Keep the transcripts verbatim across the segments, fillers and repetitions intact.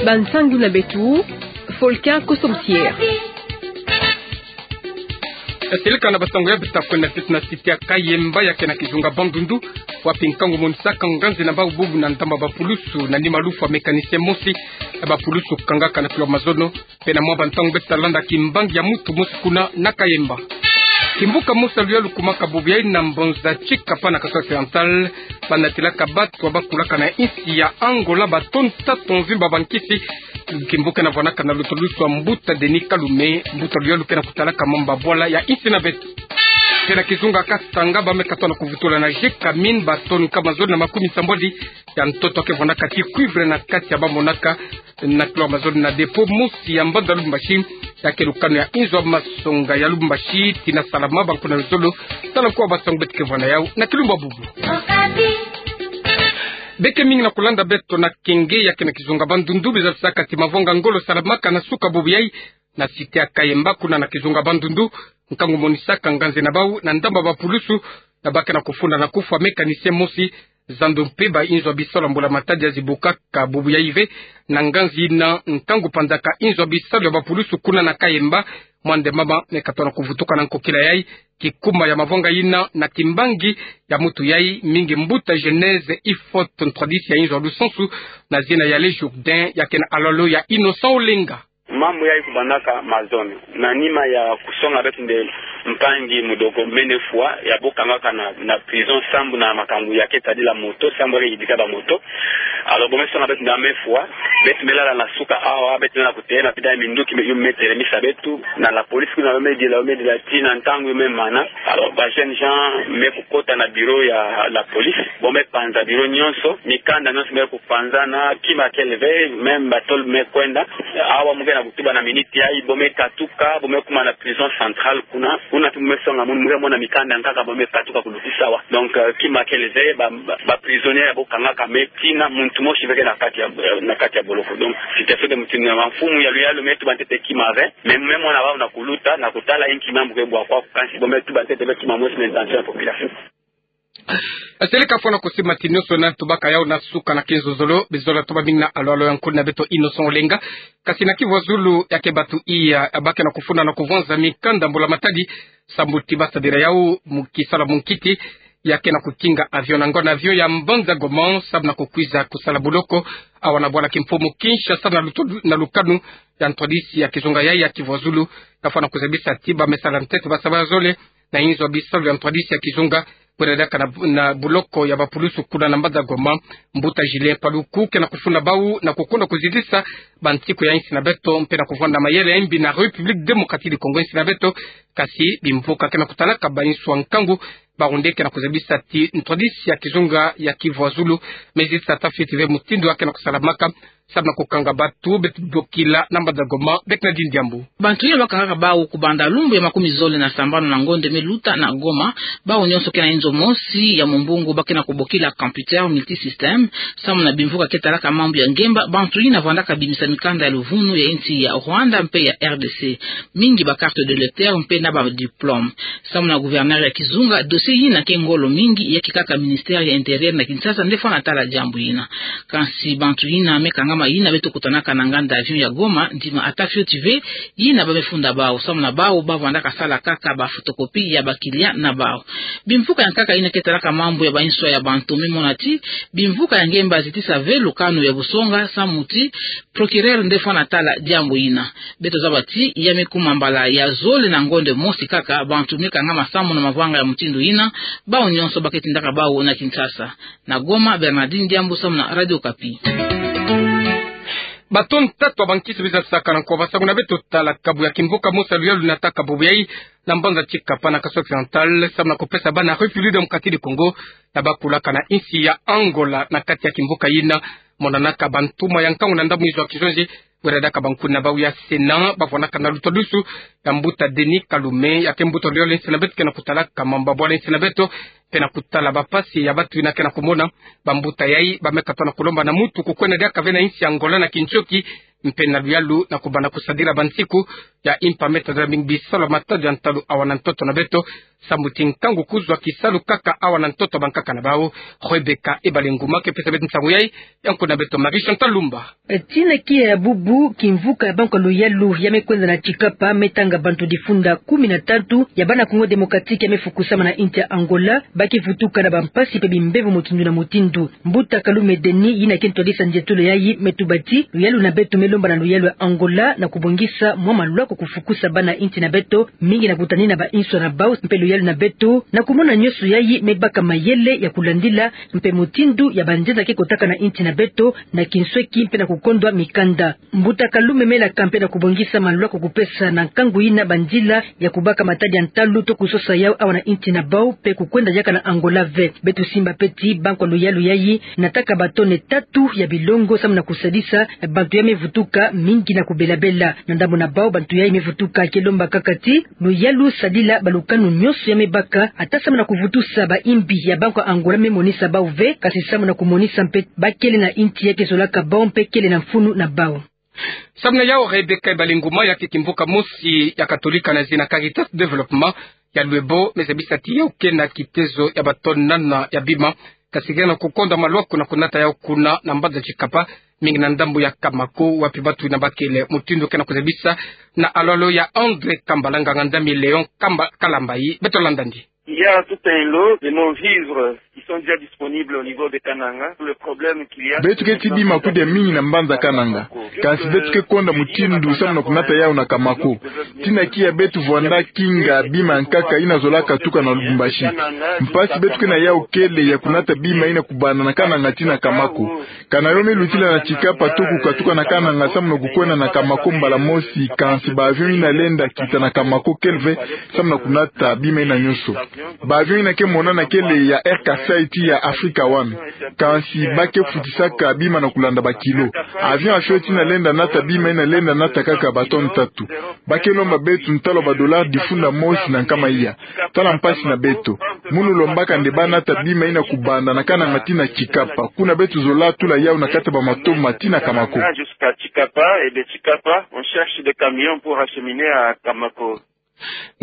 Bansangu na beto, Volcan Kosomsier. Seleka na bansangu ya beto, kwenda tet na site ya Kayemba ya kena kizunga Bandundu, wapi nkangu monisaka nganzi na bau bubu na ndamba bapulusu na nima lufwa mécanicien mosi ya bapulusu kangaka na kilo mazono, pena mwa bantangu beto talanda kimbangi ya mutu mosi kuna na Kayemba. Kimbuka mosi ya luyalu kumaka bubu yayi na Mbanza Tshikapa na Kasai Oriental, banatilaka bato bakulaka na insi ya Angola batoni tatu mvimba bankisi. Kimbuka ena vwanaka na lutulusu ya mbuta Denis Kalume, mbuta luyalu kena kutalaka mamba bwala ya insi na beto. Kena kizunga Kasanga, bame katona kuvutula na Gécamines batoni nkama zole na makumi sambwadi ya ntoto, ke vwanaka ti cuivre na kati ya bamonaka na kilo mazono na dépôt mosi ya mbanza Lubumbashi, ya ke lukanu ya inzo ya masonga ya Lubumbashi. Tina salama, bankuna luzolo, tala nko wa bansangu beto ke vwa na yau na kilumbu bubu. Beke mingi na kulanda beto na kenge ya kena kizunga Bandundu, bizalisaka ti mavanga ngolo salamaka na suka bubu yayi na site ya Kayemba kuna na kizunga Bandundu, nkangu monisaka nganzi na bau na ndamba bapulusu, na ba kena kufunda na kufwa mécanicien mosi, zando mpe ba inzo ya bisalu ya mbula matadi ya zibukaka bubu yayi ve. Na nganzi ina, nkangu panzaka inzo ya bisalu ya bapulusu kuna na Kayemba, mwande mama me katona kuvutuka na nkokila yayi. Kikuma ya mavanga ina na kimbangi ya mutu yayi, mingi mbuta Genèse Ifot, ntwadisi ya inzo ya lusansu na zina ya Le Jourdain, ya kena alalo ya Innocent Olenga. Mambu yayi kubandaka mazono na nima ya kusonga beto nde mpangi Mudoko mene fwa, ya bo kangaka na, na prison sambu na makambu ya ke tadila moto, sambu ya ke yidika bamoto. Alors bo me songa beto nde ame fwa, beto me lala na suka awa, beto me na kutêle na pida ya minduki me yu me telemisa beto na la police kuna, yo me dila, yo me dila tii na ntangu yo me mana. Alors ba jeunes gens me kukota na bureau ya la police, bo me panza bureau nyonso, mikanda nyonso me ku panzana, kima kele ve, même batôle me kwenda. Awa mu ke na kutuba na miniti yayi, bo me katuka, bo me kuma na prison centrale kuna. Kuna ti mu me songa munu, mu ke mona mikanda nkaka bo me katuka kulutisa awa. Donc, euh, kima kele ve, ba, ba, ba prisonniers ya bo kangaka me tii na muntu mosi ve ke na kati ya, na kati ya boloko. Donc, situation de mutindu ya mfumu ya luyalu me tuba ntete kima ve, mais mu me mona bau na kuluta, na kutala inki mambu ke bwa kwa, kansi bo me tuba ntete ve kima mosi na intention ya population. Seleka fwana kusiba ti nyonso na tubaka yau na suka na kinzozolo, bizola toba mingi na alalo ya nkulu na beto Innocent Olenga. Kasi na Kivu ya zulu ya ke batu iya, ba ke na kufunda na kuvwanza mikanda mbula matadi, sambu ti ba sadila yau mu kisalu ya munkiti, ya ke na kukinga avion na ngonda avion ya mbanza Goma, sambu na kukwiza kusala boloko awa na bwala kimfumu Kinshasa na luto-, na lukanu ya ntwadisi ya kizunga yayi ya Kivu ya zulu, ka fwana kuzabisa ti ba me sala ntete ba saba zole na inzo ya bisalu ya ntwadisi ya kizunga, kwenda diaka na, na boloko ya bapulusu kuna na mbanza Goma. Mbuta Julien Paluku ke na kufunda bau na kukonda kuzitisa bansiku ya insi na beto, mpe na kuvwanda mayele ya mbi na République Démocratique du Congo, insi na beto. Kasi bimvuka ke na kutalaka ba insi ya nkangu, bawu nde ke na kuzabisa ti ntwadisi ya kizunga ya Kivu ya zulu me zitisa ata fioti ve mutindu ya ke na kusalamaka, sambu na kukanga batu beto bokila na mbanza Goma. Bernardine Diambu. Bantu yina ba kangaka bau kubanda lumbu ya makumi zole na sambanu na ngonda me luta na Goma, bau nyonso ke na inzo mosi ya mumbungu ba ke na kubokila computer multisystème, sambu na bimvuka ke talaka mambu ya ngemba, bantu yina vandaka bimisa mikanda ya luvunu ya insi ya Rwanda mpe ya R D C, mingi ba carte d'électeur mpe na ba diplôme. Sambu na gouverneur ya kizunga, dossier yina ke ngolo mingi, ya ke kaka ministère ya Intérieur na Kinshasa nde fwana tala diambu yina. Kansi bantu yina me kangama yina beto kutanaka na nganda avion ya Goma, ndima ata fioti ve yina ba me funda bau, sambu na bau ba vandaka sala kaka ba photocopie ya ba client na bau. Bimvuka ya nkaka yina ke talaka mambu ya ba insi ya bantu me mona ti bimvuka ya ngemba zitisa ve lukanu ya busonga, sambu ti procureur nde fwana tala diambu yina. Beto zaba ti ya me kuma mbala ya zole na ngonda mosi kaka bantu me kangama sambu na mavanga ya mutindu yina, bau nyonso ba ke tindaka bau na Kinshasa. Na Goma, Bernardine Diambu, sambu na Radio Okapi. Batoni tatu ya bankisi biza sakana nko ba saku na beto tala kabu ya kimvuka mosi ya luyalu nataka bubu yayi na mbanza Tshikapa na Kasai Oriental, sambu na kupesa bana République Démocratique du Congo ya bakulaka na insi ya Angola. Na kati ya kimvuka yina monanaka bantuma ya nkangu na ndambu inzo ya kizonzi, wera diaka bankuni na bau ya Sénat, bavwanaka na lutwadusu ya mbuta Denis Kalume, ya ke mbuta luyalu ya insi na beto, ke na kutalaka mamba bwala ya insi na beto, mpe na kutala bampasi ya bantu yina ke na kumona. Bambuta yayi ba me katono kulomba na mutu kukwenda diaka ve na insi ya Angola na kintioki, mpe na luyalu na kubanda kusadila bansiku ya impa me tadila mingi bisalu ya matadi ya ntalu awa na ntoto na beto. Samu ti nkangu kuzwa kisalu kaka awa na ntoto bankaka na bau. Rebecca Ebalenguma ke pesa beto nsangu yai. Yango na beto Marie Chantal Lumba. Tina kia ya bubu, kimvuka ya bankwa luyalu ya me kwenda na Tchicapa me tanga bantu difunda kumi na tatu ya bana Congo Démocratique ya me fukusama na inti ya Angola, ba ke vutuka na bampasi mpe bimbevo mutindu na mutindu. Mbuta Kalume Denis, yina ke ntwadisa nzietolo yayi, me tuba ti luyalu na beto me lomba na luyalu ya Angola na kubongisa mwa malwako kufukusa bana inti na beto, mingi na kutanina ba inswa na bau, mpe luyalu na beto na kumona nyonso yayi me baka mayele ya kulandila mpe mutindu ya banzenza ke kotaka na inti na beto na kinsweki mpe na kukondwa mikanda. Mbuta Kalume me laka mpe na kubongisa malwako kupesa na nkangu yina banzila ya kubaka matadi ya ntalu to kusosa yau awa na inti na bau mpe kukwenda diaka na Angola ve. Beto simba mpe ti bankwa luyalu yayi nataka batone tatu ya bilongo samu na kusadisa bantu ya me vutuka, mingi na kubelabela. Na ndambu na bau, bantu yayi me vutuka ke lomba kaka ti luyalu sadila balukanu nyonso ya me baka, ata samu na kuvutusa ba imbi ya bankwa Angola me monisa bau ve, kasi samu na kumonisa mpe ba kele na inti ya ke zolaka bau mpe kele na mfunu na bau. Samu na yau, Rebecca Ebalenguma, ya ke kimvuka mosi ya Katolika na zina Caritas Développement ya Luebo, me zabisa ti yau ke na kitezo ya batone nana ya bima, kasi ke na kukondwa malwako na kunata yau kuna na mbanza Tchicapa, mingi na ndambu ya Kamako, wapi bantu yina ba kele. Mutindu ke na kuzabisa na alolo ya André Kambala, nganga-nzambi Léon Kamba-, Kalambayi. Beto landandi. Il y a tout un lot de non-vivres qui sont déjà disponibles au niveau de Kananga. Le problème qu'il y a, beto keti bima kudia mingi na mbanza Kananga. Kansi beto ke konda mutindu samu na kunata yau na Kamako. Tina kia beto vwanda kinga bima nkaka yina zolaka tuka na Lubumbashi. Mpasi beto ke na yau kele ya kunata bima yina kubanda na Kananga tii na Kamako. Kana yo me lutila na Tchicapa to kukatuka na Kananga samu na kukwenda na Kamako mbala mosi, kansi ba avion yina lenda kita na Kamako kele ve samu na kunata bima yina nyonso. Ba avion yina ke monana kele ya Air Kasaï tii ya Africa One. Kansi ba ke futisaka bima na kulanda ba kilo. Avion ya fioti yina lenda nata bima yina lenda nata kaka ba tonnes tatu. Ba ke lomba beto ntalu ba dollars difunda mosi na nkama iya. Tala mpasi na beto. Munu lombaka nde ba nata bima yina kubanda na Kananga tii na Tchicapa. Kuna beto zola tula yau na kati ya ba matoma tii na Kamako. Jusqu'à Tchicapa, et de Tchicapa, on cherche des camions pour acheminer à Kamako.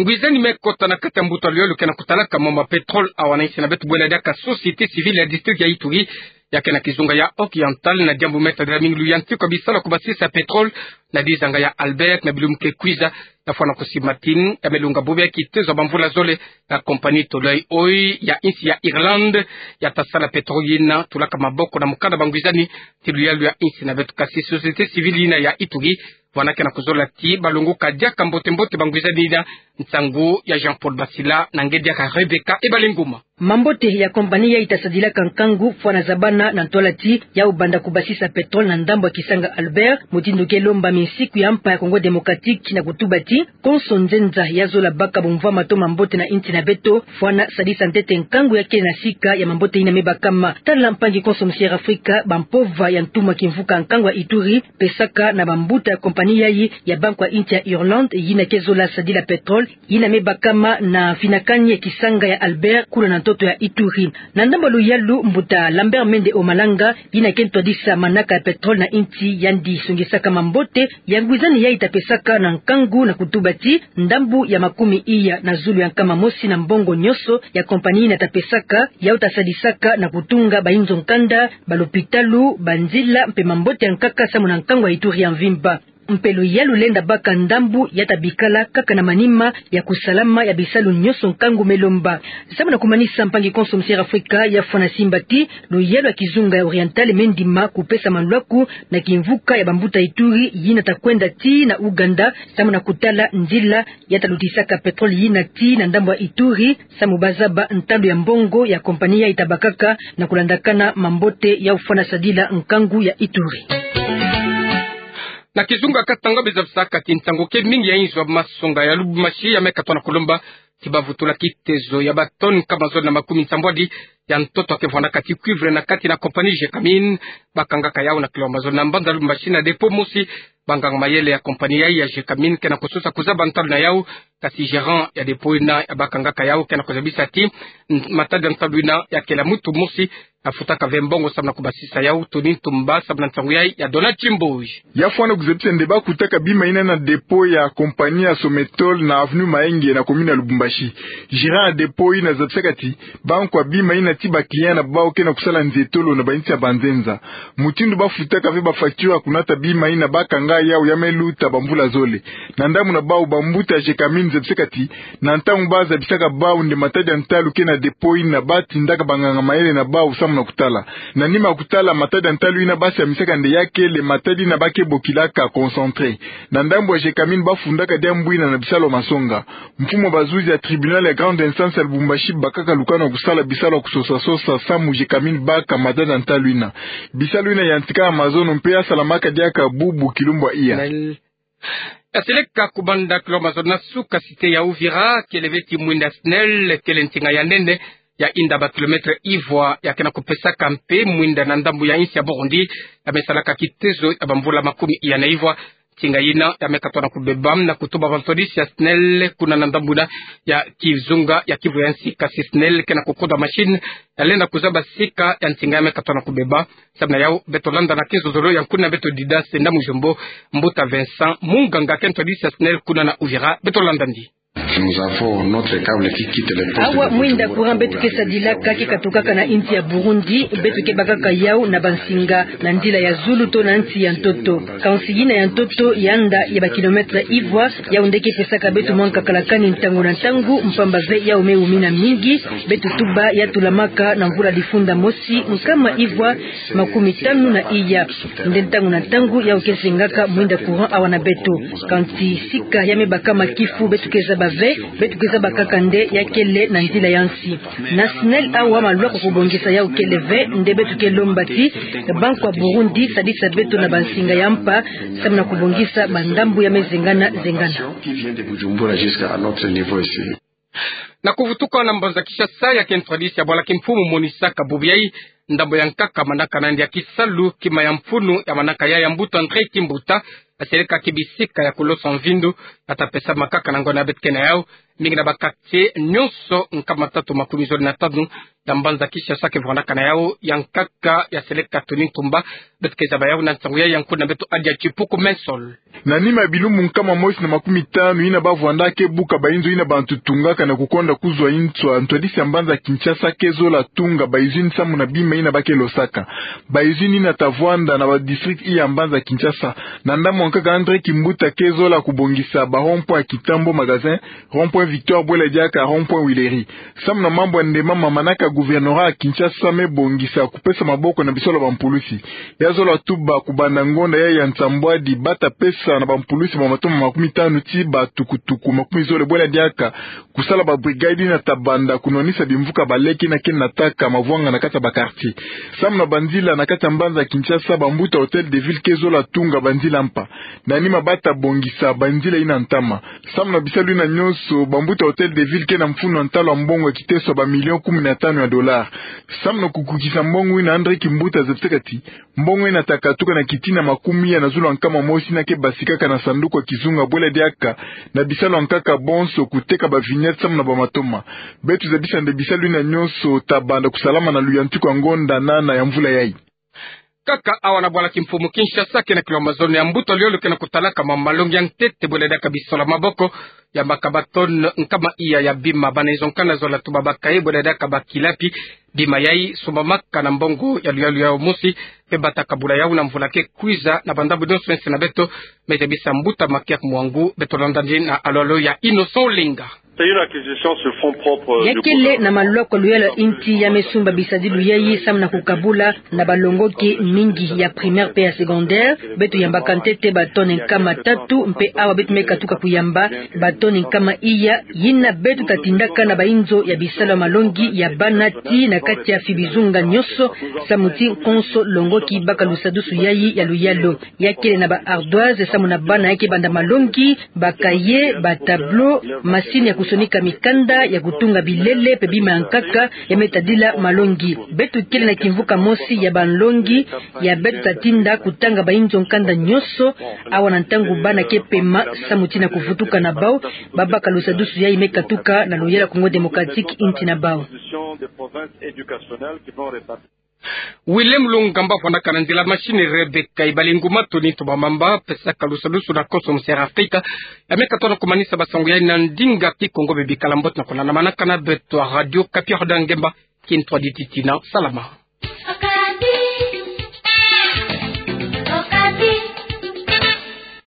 Ngwizani me kota na kati ya mbuta luyalu ke na kutalaka mama pétrole awa na insi na beto, bwela diaka société civile ya district ya Ituri, ya ke na kizunga ya Oriental, na diambu me tadila mingi luyantiku ya bisalu ya kubasisa pétrole na dizanga ya Albert na bilumbu ke kwiza. Na fwana kusimatini ya me lunga bobo ya kitezo ya bamvula zole, na compagnie Tullow Oil ya insi ya Irlande ya ta sala pétrole yina tulaka maboko na mukanda bangwizani ti luyalu ya insi na beto. Kasi société civile yina ya Ituri vwana ke na kuzola ti ba lunguka diaka mbote-mbote bangwizani yina. Nsangu ya Jean-Paul Basila na ngedi ya Rebecca Ebalenguma. Mambote ya compagnie yayi ta sadilaka nkangu fwana zabana na ntwala ti yau banda kubasisa pétrole na ndambu ya kisanga Albert, mutindu ke lomba minsiku ya mpa ya Congo Démocratique na kutuba ti konso nzenza ya zola baka bumvwama to mambote na insi na beto, fwana sadisa ntete nkangu ya kele na sika ya mambote yina me bakama. Tala mpangi konso Monsieur Africa, bampova ya ntumwa kimvuka nkangu ya Ituri pesaka na bambuta ya compagnie yayi ya bankwa insi ya Irlande yina ke zola sadila pétrole yina me bakama na finakani ya kisanga ya Albert kuna na ntoto ya Ituri. Na ndambu ya luyalu, mbuta Lambert Mende Omalanga, yina ke ntwadisa manaka ya pétrole na insi, yandi songisaka mambote ya ngwizani yayi ta pesaka na nkangu na kutuba ti ndambu ya makumi iya na zulu ya nkama mosi na mbongo nyonso ya compagnie yina ta pesaka, yau ta sadisaka na kutunga ba inzo nkanda, ba lopitalu, banzila mpe mambote ya nkaka samu na nkangu ya Ituri ya mvimba. Mpe luyalu lenda baka ndambu ya ta bikala kaka na manima ya kusalama ya bisalu nyonso nkangu me lomba. Samu na kumanisa, mpangi konso Monsieur Africa ya fwana simba ti luyalu ya kizunga ya Oriental me ndima kupesa malwaku na kimvuka ya bambuta Ituri yina ta kwenda ti na Ouganda samu na kutala nzila ya ta lutisaka pétrole yina ti na ndambu ya Ituri, samu ba zaba ntalu ya mbongo ya compagnie yayi ta bakaka na kulandakana mambote ya ufwana sadila nkangu ya Ituri. Na kizunga Katanga, bezabi saka ti nsangu ke mingi ya inzo ya masonga ya Lubumbashi ya me katwa na kulomba ti ba vutula kitezo ya ba tonnes nkama zole na makumi nsambwadi ya ntoto ya kevwandaka ti cuivre na kati na compagnie Gécamines, bakangaka yau na kilomètre zole na mbanza Lubumbashi na dépôt mosi. Banganga mayele ya compagnie yayi ya Gécamines ke na kusosa kuzaba ntalu na yau, kasi gérant ya dépôt yina ya bakangaka yau ke na kuzabisa ti, matadi ya ntalu yina ya kele mutu mosi afutaka ve mbongo samu na kubasisa yau toni ntumba, samu na nsangu yayi ya Donald Timboji. Ya fwana kuzabisa nde bakutaka bima yina na dépôt ya compagnie ya Sometol na avenue Mahenge na commune ya Lubumbashi. Gérant ya dépôt yina azabisaka ti bankwa bima yina ti ba client na bau ke na kusala nzietolo na bainsi ya banzenza. Mutindu bafutaka ve ba facture ya kunata bima yina bakanga yau ya me luta bamvula zole. Na ndambu na bau bambuta ya Gécamines zabisaka ti na ntangu bazabisaka bau nde matadi ya ntalu ke na dépôt yina, batindaka banganga mayele na bau samu na kutala. Na nima ya kutala matadi ya ntalu yina, basiamisaka nde ya kele matadi yina ba ke bokilaka concentré. Na ndambu ya Gécamines bafundaka diambu yina na bisalu ya masonga. Mfumu ya bazuzi ya tribunal ya grande instance ya Lubumbashi bakaka lukanu ya kusala bisalu ya kusosa-sosa samu Gécamines baka matadi ya ntalu yina. Bisalu yina yantikaka mazono mpe yasalamaka diaka bubu kilumbu ya iya. Ya seleka kubanda kilomètre zole na suka cité ya Uvira, kele ve ti mwinda SNEL, kele nsinga ya nene ya inda ba kilomètre ivwa ya ke na kupesaka mpe mwinda na ndambu ya insi ya Burundi ya me salaka kitezo ya bamvula makumi iya na ivwa. Nsinga yina ya me katuka na kubeba na kutuba bantwadisi ya SNEL kuna na ndambu yina ya kizunga ya Kivu ya nsi, kasi SNEL ke na kukoda machine ya lenda kuzaba sika ya nsinga ya me katuka na kubeba. Samu na yau, beto landa na kizololo ya nkuna beto Didas Ndamujombo, mbuta Vincent, munganga ke ntwadisi ya SNEL kuna na Uvira, beto landa ndi. Nous avons notre câble qui quitte les postes. Awa mwinda courant beto ke sadilaka ke katukaka na insi ya Burundi, beto ke bakaka yau na bansinga na nzila ya zulu to na nsi ya ntoto. Kansi yina ya ntoto ya nda ya ba kilomètre ivwa, yau nde ke pesaka beto mwa nkakalakani ntangu na ntangu, mpamba ve yau me wumina mingi. Beto tuba ya tulamaka na mvula difunda mosi nkama ivwa makumi tanu na iya. Nde ntangu na ntangu yau ke sengaka mwinda courant awa na beto. Kansi sika ya me bakama kifu beto ke zaba ve, beto ke zaba kaka nde ya kele na nzila ya nsi. Na SNEL awa malwaka kubongisa yau kele ve, nde beto ke lomba ti bankwa Burundi sadisa beto na bansinga ya mpa, samu na kubongisa bandambu ya me zengana-zengana. Qui vient de Bujumbura jusqu'à notre niveau ici. Na kuvutuka na mbanza Kinshasa, ya ke ntwadisi ya bwala kimfumu monisaka bubu yayi ndambu ya nkaka manaka na yandi ya kisalu, kima ya mfunu ya manaka ya ya mbuta André Kimbuta, aselekaki bisika ya kulosa mvindu, ya ta pesamaka kaka na ngonda beto ke na yau, mingi na ba quartier nyonso nkama tatu makumi zole na tanu ya mbanza Kinshasa ke vwandaka na yau, ya nkaka ya seleka Tony Ntumba, beto ke zaba yau na nsangu yayi ya nkuna beto Adia Chipuku Mensol. Na nima ya bilumbu nkama mosi na makumi tanu yina bavwandaka ke buka bainzo yina bantu tungaka na kukonda kuzwa inswa, ntwadisi ya mbanza Kinshasa ke zola tunga ba usine samu na bima yina ba ke losaka. Ba usine yina ta vwanda na ba district iya mbanza Kinshasa. Na ndambu ya nkaka André Kimbuta ke zola kubongisa ba rond-point ya Kintambo Magasin, rond-point Victoire, bwela diaka rond-point Huileries. Samu na mambu ya ndemama manaka gouvernorat ya Kinshasa me bongisa kupesa maboko na bisalu ya bampulusi. Ya zola tuba kubanda ngonda yayi ya nsambwadi ba ta pesa na bampulusi ba matoma makumi tanu ti ba tukutuku makumi zole bwela diaka kusala ba brigade yina ta banda kunwanisa bimvuka baleke yina ke nataka mavwanga na kati ya ba quartier. Samu na banzila na kati ya mbanza Kinshasa, bambuta Hôtel de Ville ke zola tunga banzila mpa. Na nima ba ta bongisa banzila yina ntama. Samu na bisalu yina nyonso, bambuta Hôtel de Ville ke na mfunu ya ntalu ya mbongo ya kiteso ya ba million kumi na tanu ya dollars. Samu na kukukisa mbongo yina, André Kimbuta azabisaka ti mbongo yina ta katuka na kitina makumi iya na zulu ya nkama mosi yina ke basikaka na sanduku ya kizunga bwela diaka na bisalu ya nkaka bonso kuteka ba vignettes samu na ba matoma. Beto zabisa nde bisalu yina nyonso ta banda kusalama na luyantiku ya ngonda nana ya mvula yayi. Kaka awa na bwala kimfumu Kinshasa, ke na kilomètre zole ya mbuta luyolo ke na kutalaka ma malongi ya ntete bwela diaka bisalu ya maboko, yambaka ba tonnes nkama iya ya bima. Bana nzo nkana zola tuba ba cahiers bwela diaka ba kilapi. Bima yayi sombamaka na mbongo ya luyalu ya mosi, mpe ba ta kabula yau na mvula ke kwiza na bandambu nyonso ya nsi na beto, me zabisa mbuta Makiak Mwangu. Beto landa ndi na alolo ya Innocent Olenga. C'est une acquisition sur fonds propres du gouvernement. Ya kele na maloko ya luyalu ya insi ya me sumba bisadilu yayi samu na kukabula na balongoki mingi ya primaire mpe ya secondaire. Beto yambaka ntete ba tonnes nkama tatu, mpe awa beto me katuka kuyamba ba tonnes nkama iya, yina beto ta tindaka na bainzo ya bisalu ya malongi ya bana tii na kati ya fibizunga nyonso, samu ti konso longoki baka lusadusu yayi ya luyalu. Ya kele na ba ardoises samu na bana ya ke banda malongi, ba cahiers, ba tableaux, masini ya sonika mikanda ya kutunga bilele pe bima ya nkaka ya me tadila malongi. Beto kele na kimvuka mosi ya banlongi ya beto tatinda kutanga bainzo nkanda nyonso, awa na ntangu bana ke pema samu tina kuvutuka na bau, babaka lusadusu yayi me katuka na luyala Congo Démocratique, inti na bau. Willem Lungamba fwanakana nzila machine Rebecca Ibalingu Matoni Ntomba Mamba, pesaka lusadusu na Konso Musere Afrika, ya me katono kumanisa basango yayi na ndinga Kikongo. Bebi kala mbote na kolanda manaka na beto a Radio Kapi, Rodan Ngemba, kintwa dititi na salama.